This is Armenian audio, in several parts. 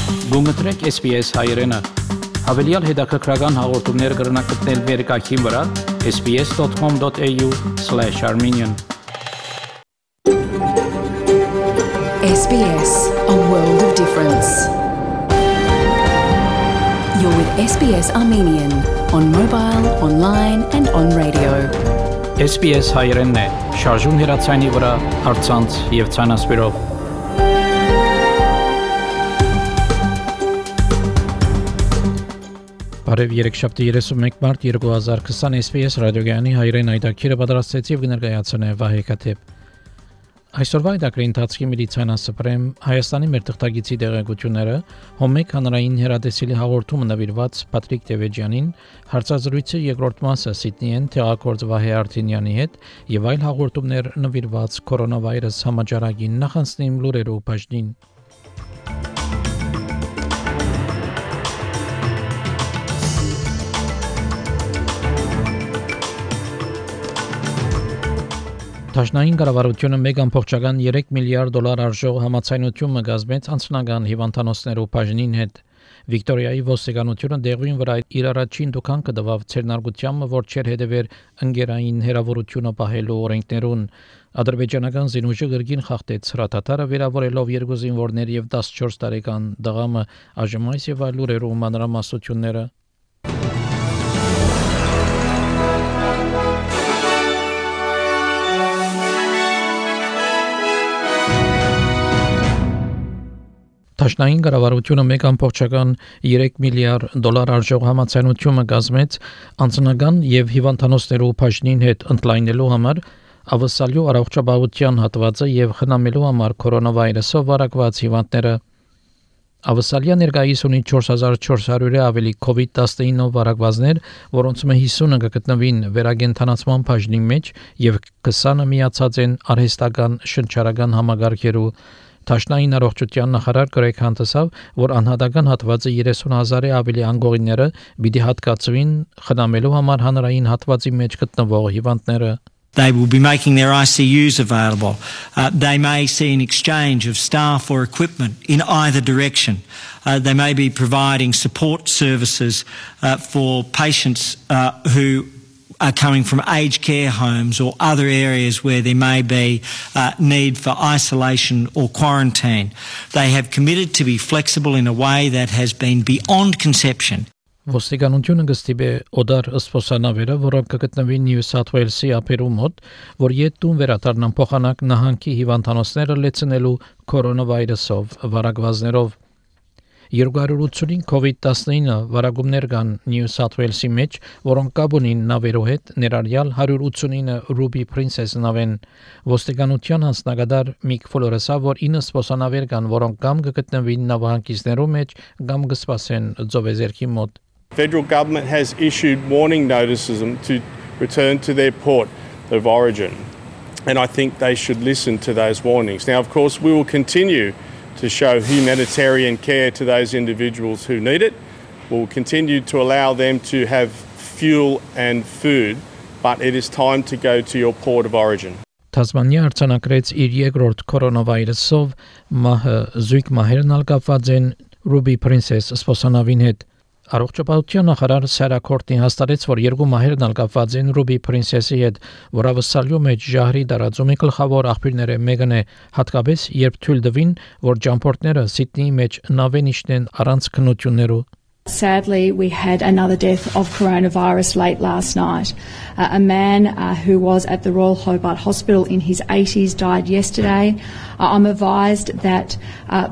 Գումտրեք SPS հայրենը, հավելյալ հետաքրքրական հաղորդումներ կգրնակցնել վերկայքին վրա sbs.com.au/armenian SBS, a world of difference. You're with SBS Armenian on mobile, online and on radio. SPS հայրենն է, շարժուն հեռացայինի վրա, առցանց եւ ցանասպիրով։ Բարև երեքշաբթի 31 մարտ 2020 SPS ռադիոգյանի հայրեն այդակիրը պատրաստեցի եւ կներկայացնե Վահե Քաթեփ։ Այսօրվա այդակրի ընթացքի մեդիցինասպրեմ Հայաստանի մեր թղթագիտի դեղեցությունները Հոմեկ հանրային հեռադեսիլի հաղորդումը նվիրված Պատրիկ Տևեջյանին, հարցազրույցը երկրորդ մասը Սիդնիեն տեղակորձ Վահե Արտինյանի հետ եւ այլ հաղորդումներ նվիրված կորոնավիրուս համաճարակին նախանցնիմ լուրերով բաժնին։ Դաշնային կառավարությունը 1.3 միլիարդ դոլար արժող համաձայնություն կազմեց անձնական հիվանդանոցներով բաժնին հետ։ Վիկտորիայի ոստիկանությունը դեղին վրա իր առաջին դուքան կդվավ ցերնարգությամբ, որ չեր հետևեր ընկերային հերավորությունը պահելու օրենքներուն։ Ադրբեջանական զինուժը գրգին խախտեց հրաթաթարը վերավորելով 2 զինվորներ եւ 14 տարեկան դղամը այժմ այս եւ այլ լուրերով մանրամասնությունները։ Դաշնային կառավարությունը 1.3 միլիարդ դոլար արժող համաձայնություն կազմեց անձնական եւ հիվանդանոցներով բաժնին հետ ընդլայնելու համար ավսալյու առողջապահության հատվածը եւ խնամելու համար կորոնավիրուսով վարակված հիվանդները։ Ավսալիա ներկայիս ունի 4400-ը ավելի COVID-19 վարակվածներ, որոնց մը 50-ը կգտնվին վերագենթանացման բաժնի մեջ եւ 20-ը միացած են արհեստական շնչառական համագարկերու։ Դաշնային առողջության նախարար Գրեգ Հանտեսավ, որ անհատական հատվածը 30,000-ը ավելի անգողիները պիտի հատկացվին խնամելու համար հանրային հատվածի մեջ գտնվող հիվանդները։ They will be making their ICUs available. They may see an exchange of staff or equipment in either direction. They may be providing support services for patients who are coming from aged care homes or other areas where there may be need for isolation or quarantine. They have committed to be flexible in a way that has been beyond conception. Ոստիկանությունը կստիպե օդար սպոսանավերը, որոնք կգտնվին Նյու Սաութ Ուելսի ափերու մոտ, որ յետուն վերադառնան փոխանակ նահանգի հիվանդանոցները լեցնելու կորոնավիրուսով վարակվածներով։ 285 COVID-19 վարակումներ կան Նյու Սաութ Ուելսի մեջ, որոնք կապ ունին նավերու հետ, ներառյալ 189 Ruby Princess նավեն։ Ոստիկանության հանձնագետար Միք Ֆլորեսը, որ 9 սպոսանավեր կան, որոնք կամ կգտնվին նավահանգիստներու մեջ, կամ կսպասեն ծովեզերքի մոտ։ Federal government has issued warning notices to return to their port of origin, and I think they should listen to those warnings. Now, of course, we will continue to show humanitarian care to those individuals who need it. We'll continue to allow them to have fuel and food, but it is time to go to your port of origin. Թասմանիա արձանագրեց իր երկրորդ կորոնավիրուսով մահը, զույգ մահերն ալկապված են Ruby Princess սպոսանավին հետ։ Առողջապահության նախարար Սարա Քորտնի հաստատեց, որ երկու մահերն ալկապված են Ruby Princess-ի հետ, որ ավսալյու մեջ ժահրի տարածումի գլխավոր աղբյուրները մեկն է, հատկապես երբ թույլ տվին, որ ճամփորդները Սիդնեի մեջ նավեն իջնեն առանց քննություններու։ Sadly, we had another death of coronavirus late last night. A man who was at the Royal Hobart Hospital in his 80s died yesterday. I'm advised that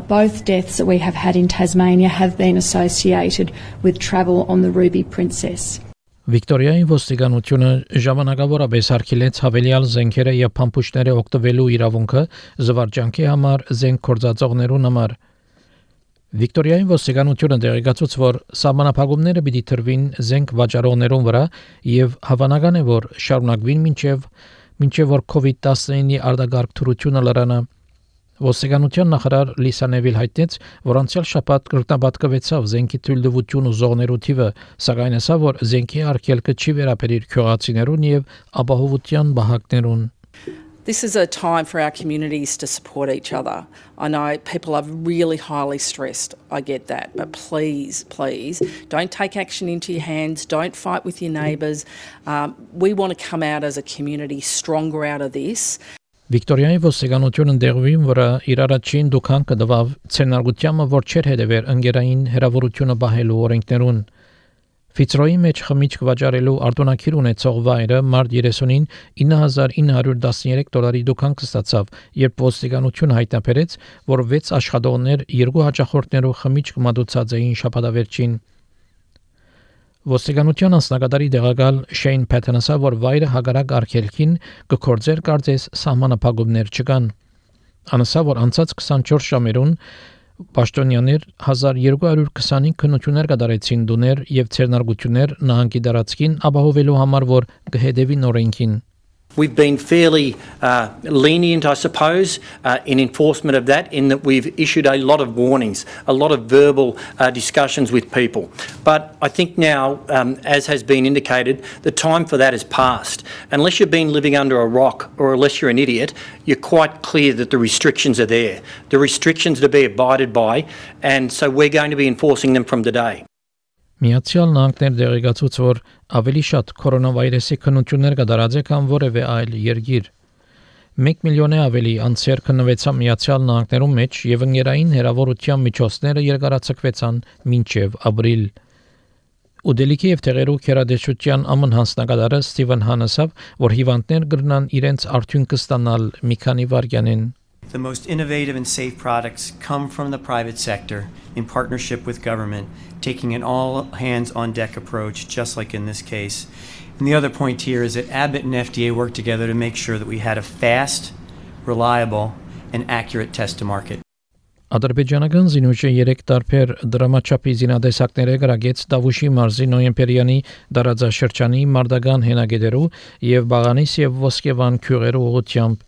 both deaths that we have had in Tasmania have been associated with travel on the Ruby Princess. Վիկտորիայի ոստիկանությունը ժամանակավորապես արգելեց հավելյալ զենքերը եւ փամփուշտները օգտվելու իրավունքը զվարճանքի համար զենք գործածողներուն համար։ Վիկտորիայի ոստիկանությունը տեղեկացուց, որ սահմանափակումները պիտի տրվին զենք վաճառողներուն վրա եւ հավանական է, որ շարունակվին մինչեւ որ COVID-19-ի արտագաղթ թրությունը լրանա։ Ոստիկանության նախարար Լիսա Նևիլ հայտնեց, որ անցյալ շաբաթ կրկնապատկվեցավ զենքի թույլտվություն ուզողներու թիվը, սակայն ասավ, որ զենքի արգելքը չի վերաբերիր քյողացիներուն եւ ապահովության բահակներուն։ This is a time for our communities to support each other. I know people are really highly stressed, I get that, but please, don't take action into your hands, don't fight with your neighbours. We want to come out as a community stronger out of this. Վիկտորիայի ոստիկանությունն դեղվին վրա իր առաջին դուքան կդվավ ցենարգությամը որ չեր հետևեր ընկերային հերավորությունը բահելու օրենքներուն Ֆիցրոյի մեջ խմիչք վաճառելու արտոնագիր ունեցող վայրը մարտ 30-ին $9,913 դուքան կստացավ, երբ ոստիկանությունը հայտնաբերեց, որ 6 աշխատողներ 2 հաճախորդներով խմիչք մատուցած էին շաբաթավերջին։ Ոստիկանության անձնակատարի դեղակալ Շեյն Փեթենսը, որ վայրը հագարակ արգելքին կգործեր կարծես սահմանափակումներ չկան։ Անասա, որ անցած 24 ժամերուն Պաշտոնյաներ 1225 քննություններ կատարեցին դուներ եւ ցերնարգություններ նահանգի դարածքին ապահովելու համար, որ կհետևին օրենքին։ We've been fairly lenient, I suppose, in enforcement of that, in that we've issued a lot of warnings, a lot of verbal discussions with people. But I think now, as has been indicated, the time for that has passed. Unless you've been living under a rock or unless you're an idiot, you're quite clear that the restrictions are there. The restrictions to be abided by, and so we're going to be enforcing them from today. Միացյալ Նահանգներ դեղեկացուց, որ ավելի շատ կորոնավիրուսի քննություններ կդարած է, քան որևէ այլ երկիր։ 1 միլիոնի ավելի անձեր քննվեցան Միացյալ Նահանգներում մեջ եւ ընկերային հերավորության միջոցները երկարացկվեցան մինչեւ ապրիլ։ Ուդելիքի եւ տեղերու քերադեշության ամն հանձնակատարը Ստիվեն Հանեսը, որ հիվանդներ կգրնան իրենց արդյունքը ստանալ մի քանի վայրկյանին։ The most innovative and safe products come from the private sector in partnership with government, taking an all-hands-on-deck approach, just like in this case. And the other point here is that Abbott and FDA worked together to make sure that we had a fast, reliable, and accurate test to market. Ադրբեջանական զինուժը 3 տարբեր դրամաչափի զինադեսակներ է գրագեց Դավուշի մարզի Նոյեմբերյանի դարաձաշրջանի մարտական հենագետերու եւ Բաղանիս եւ Ոսկեվան քյուղերու ուղղությամբ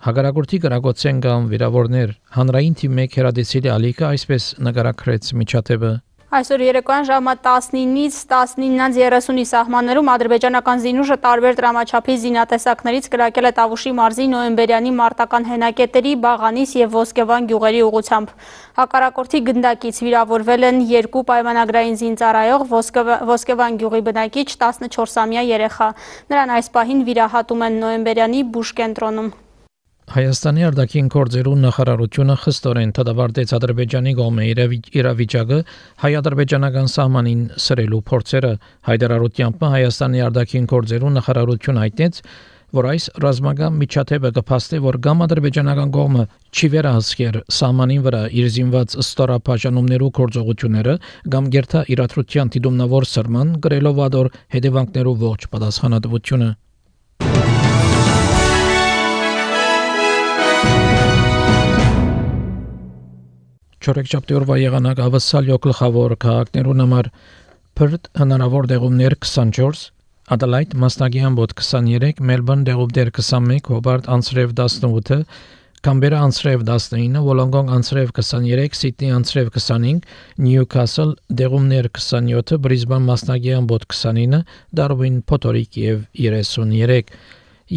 Հագարագործի գրագոցեն կամ վիրավորներ հանրային թիմի քերադեսիլի ալիքը այսպես նկարագրեց միջադեպը Այսօր երեկոյան ժամը 19-ից 19:30-ի սահմաններում ադրբեջանական զինուժը տարբեր դրամաչափի զինատեսակներից կրակել է Տավուշի մարզի Նոյեմբերյանի մարտական հենակետերի Բաղանիս եւ Ոսկեվան գյուղերի ուղղությամբ։ Հակառակորդի գնդակից վիրավորվել են 2 պայմանագրային զինծառայող Ոսկեվան գյուղի բնակիչ 14-ամյա երեխա։ Նրան այս պահին վիրահատում են Նոյեմբերյանի բուժ կենտրոնում։ Հայաստանի արտաքին գործերու նախարարությունը խստորեն դադարեցրեց Ադրբեջանի կողմը իրավիճակը հայ-ադրբեջանական սահմանին սրելու փորձերը հայտարարությամբ Հայաստանի արտաքին գործերու նախարարությունը հայտնեց, որ այս ռազմական միջադեպը կփաստի, որ կամ ադրբեջանական կողմը չի վերահսկեր սահմանին վրա իր զինված ստորաբաժանումներու գործողությունները, կամ գերտա իրադրության դիտումնավոր սրման գրելով ադոր հետևանքներու ողջ պատասխանատվությունը։ Չորեքշաբթի օրվա եղանակ ավսալ գլխավոր քաղաքներուն համար Perth հնարավոր դեղումներ 24, Adelaide մասնագի ամբոտ 23, Melbourne դեղումներ 21, Hobart անցրև 18, Canberra անցրև 19, Wollongong անցրև 23, Sydney անցրև 25, Newcastle դեղումներ 27, Brisbane մասնագի ամբոտ 29, Darwin փոթորիկ եւ 33։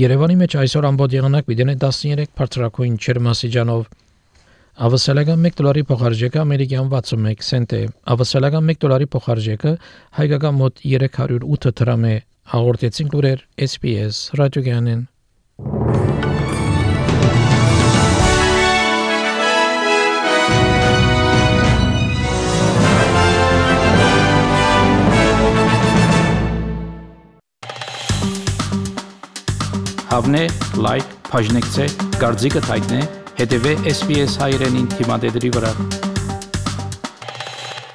Երևանի մեջ այսօր ամբոտ եղանակ պիտի 13 բարձրակույն ջերմաստիճանով Ավասալական $1 փոխարժեքը ամերիկյան 61 سنت է։ Ավասալական $1 փոխարժեքը հայկական մոտ 308 դրամ է։ Հաղորդեցին լուրեր SPS ռադիոգյանեն։ Հավնե, լայք, բաժնեկցե, դարձիկը թայտնե, հետևե SPS հայրենին թիմադեդրի վրա։